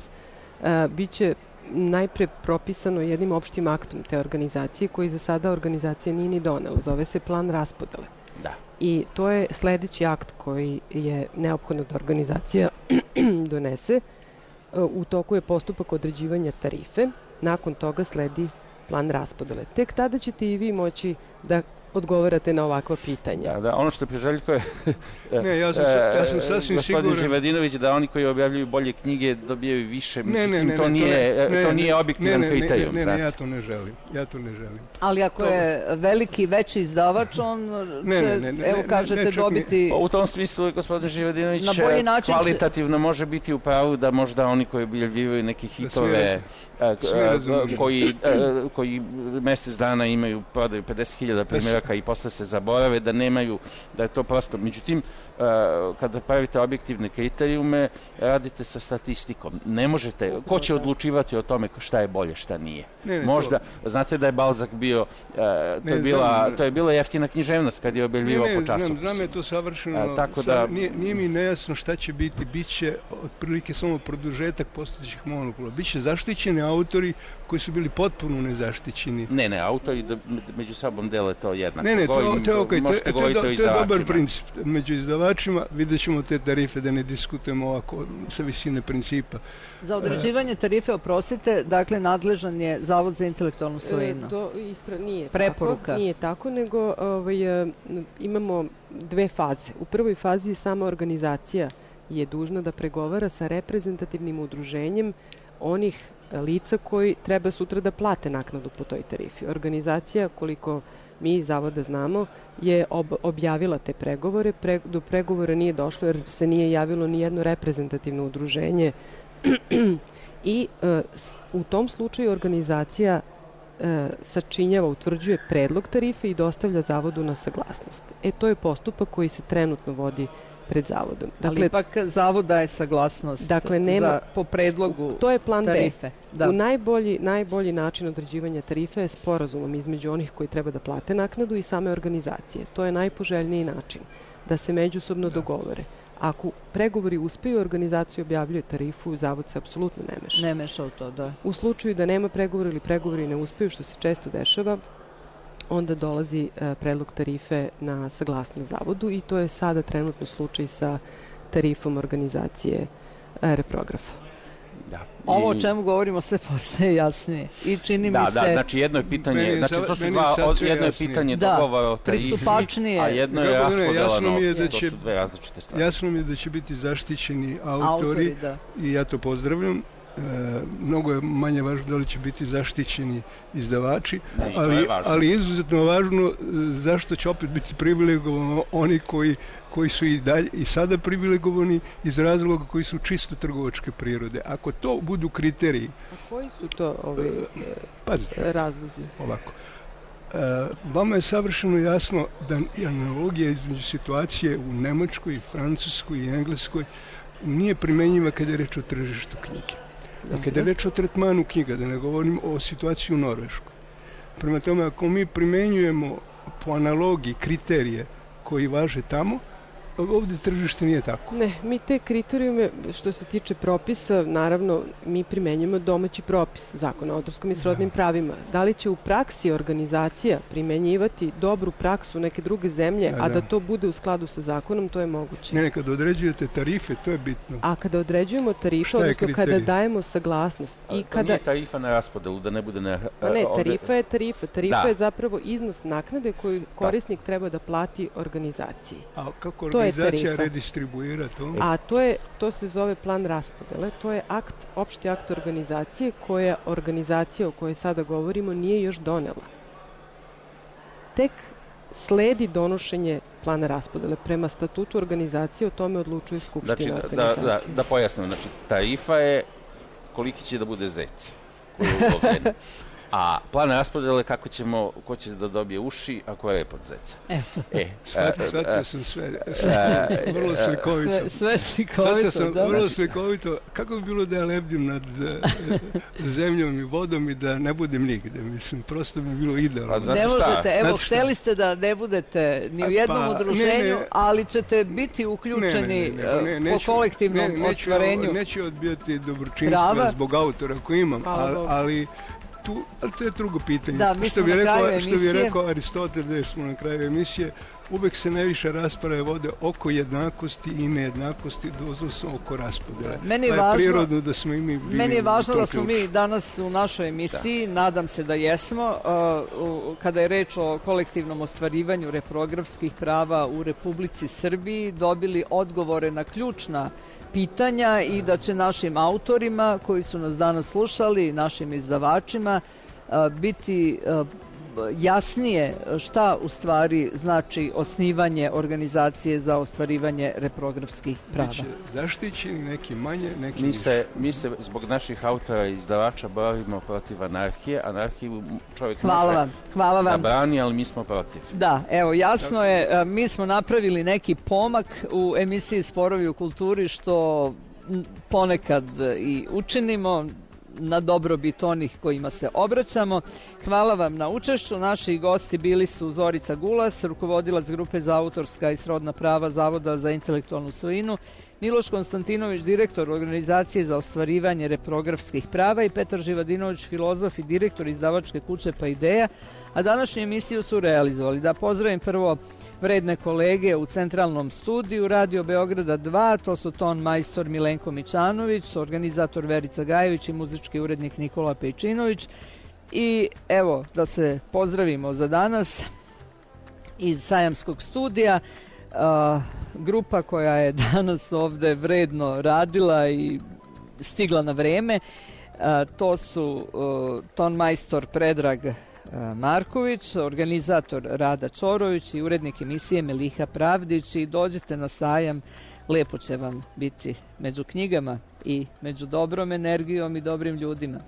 bit će najpre propisano jednim opštim aktom te organizacije, koji za sada organizacija nije ni donela. Zove se plan raspodele. Da. I to je sledeći akt koji je neophodno da organizacija donese. U toku je postupak određivanja tarife, nakon toga sledi plan raspodele. Tek tada ćete i vi moći da odgovarate na ovakva pitanja. Da, ono što Priželjko je ja sam sasvim siguran. Gospodin Živadinović, da oni koji objavljuju bolje knjige dobijaju više, međutim to nije objektivan kriterijum. Ne, ja to ne želim. Ali ako je veliki, veći izdavač, on će, evo kažete, dobiti... U tom smislu, gospodin Živadinović kvalitativno može biti u pravu da možda oni koji objavljuju neke hitove koji mjesec dana imaju prodaju 50.000 primjeraka koraka i posle se zaborave, da nemaju, da je to prosto. Međutim, kada pravite objektivne kriterijume, radite sa statistikom. Ne možete, ko će odlučivati o tome šta je bolje, šta nije? Možda, znate da je Balzac bio, to je bila jeftina književnost kad je objavljivao po časopisima. Znam je to savršeno, nije mi nejasno šta će biti, bit će otprilike samo produžetak postojećih monopola. Biće zaštićeni autori koji su bili potpuno nezaštićeni. Ne, autori među sobom dele to jednako. To je okej, to je dobar princip. Među izdavačima vidjet ćemo te tarife, da ne diskutujemo ovako sa visine principa. Za određivanje tarife, oprostite, dakle nadležan je Zavod za intelektualnu svojinu. To nije preporuka. Tako, nije tako, nego imamo dve faze. U prvoj fazi sama organizacija je dužna da pregovara sa reprezentativnim udruženjem onih lica koji treba sutra da plate naknadu po toj tarifi. Organizacija, koliko mi iz Zavoda znamo, je objavila te pregovore. Do pregovora nije došlo jer se nije javilo ni jedno reprezentativno udruženje i u tom slučaju organizacija sačinjava, utvrđuje predlog tarife i dostavlja Zavodu na saglasnost. To je postupak koji se trenutno vodi pred Zavodom. Ali ipak Zavod daje saglasnost po predlogu to je plan tarife. Da. U najbolji način određivanja tarife je sporazumom između onih koji treba da plate naknadu i same organizacije. To je najpoželjniji način da se međusobno dogovore. Ako pregovori uspeju, organizacija objavljuje tarifu, Zavod se apsolutno ne meša. Ne meša u to, da. U slučaju da nema pregovora ili pregovori ne uspeju, što se često dešava, onda dolazi predlog tarife na saglasnost Zavodu i to je sada trenutno slučaj sa tarifom organizacije Reprografa. Da. Ovo o čemu govorimo sve postaje jasnije i čini mi se... Da, znači jedno je pitanje, to su jedno je pitanje dogovora o tarifi, a jedno je raspodela novca, to su dve različite stvari. Jasno mi je da će biti zaštićeni autori i ja to pozdravljam. Mnogo je manje važno da li će biti zaštićeni izdavači, ali izuzetno važno zašto će opet biti privilegovani oni koji su i dalje i sada privilegovani iz razloga koji su čisto trgovačke prirode. Ako to budu kriteriji... A koji su to razlozi? Ovako. Vama je savršeno jasno da analogija između situacije u Nemačkoj, Francuskoj i Engleskoj nije primenjiva kada je reč o tržištu knjige. A kada je reč o tretmanu knjiga, da ne govorim o situaciji u Norveškoj. Prema tome, ako mi primenjujemo po analogiji kriterije koji važe tamo, ovdje tržište nije tako. Ne, mi te kriterijume, što se tiče propisa, naravno, mi primenjujemo domaći propis, Zakon o autorskom i srodnim pravima. Da li će u praksi organizacija primenjivati dobru praksu neke druge zemlje, a da to bude u skladu sa zakonom, to je moguće. Ne, kada određujete tarife, to je bitno. A kada određujemo tarife, odnosno kada dajemo saglasnost. To nije tarifa na raspodelu, da ne bude na... Ne, tarifa je tarifa. Tarifa je zapravo iznos naknade koju korisnik treba da plati organizaciji. A kako organizacija redistribuira to? A to se zove plan raspodele. To je opšti akt organizacije koja organizacija o kojoj sada govorimo nije još donela. Tek sledi donošenje plana raspodele. Prema statutu organizacije o tome odlučuje skupština organizacije. Da pojasnim, znači tarifa je koliki će da bude zec koji je ulovljen. A plan raspodele ko će da dobije uši, ako je rep od zeca. Shvatio sam sve. Vrlo slikovito. Sve slikovito, Shvatio sam vrlo slikovito. Kako bi bilo da ja lebdim nad zemljom i vodom i da ne budem nigde? Mislim, prosto bi bilo idealno. Ne možete, evo, hteli ste da ne budete ni u jednom udruženju, ali ćete biti uključeni po kolektivnom ostvarenju. Neću odbijati dobročinstva zbog autora koji imam, ali to je drugo pitanje. Da, mi smo na kraju emisije. Što bi rekao Aristotel, da smo na kraju emisije, uvek se najviše rasprave vode oko jednakosti i nejednakosti, doslovno oko raspodele. Meni je važno da smo mi danas u našoj emisiji, nadam se da jesmo, kada je reč o kolektivnom ostvarivanju reprografskih prava u Republici Srbiji, dobili odgovore na ključna pitanja i da će našim autorima koji su nas danas slušali, našim izdavačima, biti jasnije šta u stvari znači osnivanje organizacije za ostvarivanje reprografskih prava. Biće zaštićeni, neki manje, neki mi se zbog naših autora i izdavača borimo protiv anarhije. Anarhiju čovjek hvala vam. Da brani, ali mi smo protiv. Da, evo, jasno je, mi smo napravili neki pomak u emisiji Sporovi u kulturi, što ponekad i učinimo na dobrobit onih kojima se obraćamo. Hvala vam na učešću. Naši gosti bili su Zorica Gulas, rukovodilac grupe za autorska i srodna prava Zavoda za intelektualnu svojinu, Miloš Konstantinović, direktor organizacije za ostvarivanje reprografskih prava, i Petar Živadinović, filozof i direktor izdavačke kuće Pa Ideja, a današnju emisiju su realizovali. Da pozdravim prvo vredne kolege u centralnom studiju Radio Beograda 2, to su ton majstor Milenko Mićanović, organizator Verica Gajević i muzički urednik Nikola Pejčinović. I evo, da se pozdravimo za danas iz Sajamskog studija. Grupa koja je danas ovde vredno radila i stigla na vreme, to su ton majstor Predrag Marković, organizator Rada Čorović i urednik emisije Meliha Pravdić. I dođite na sajam, lepo će vam biti među knjigama i među dobrom energijom i dobrim ljudima.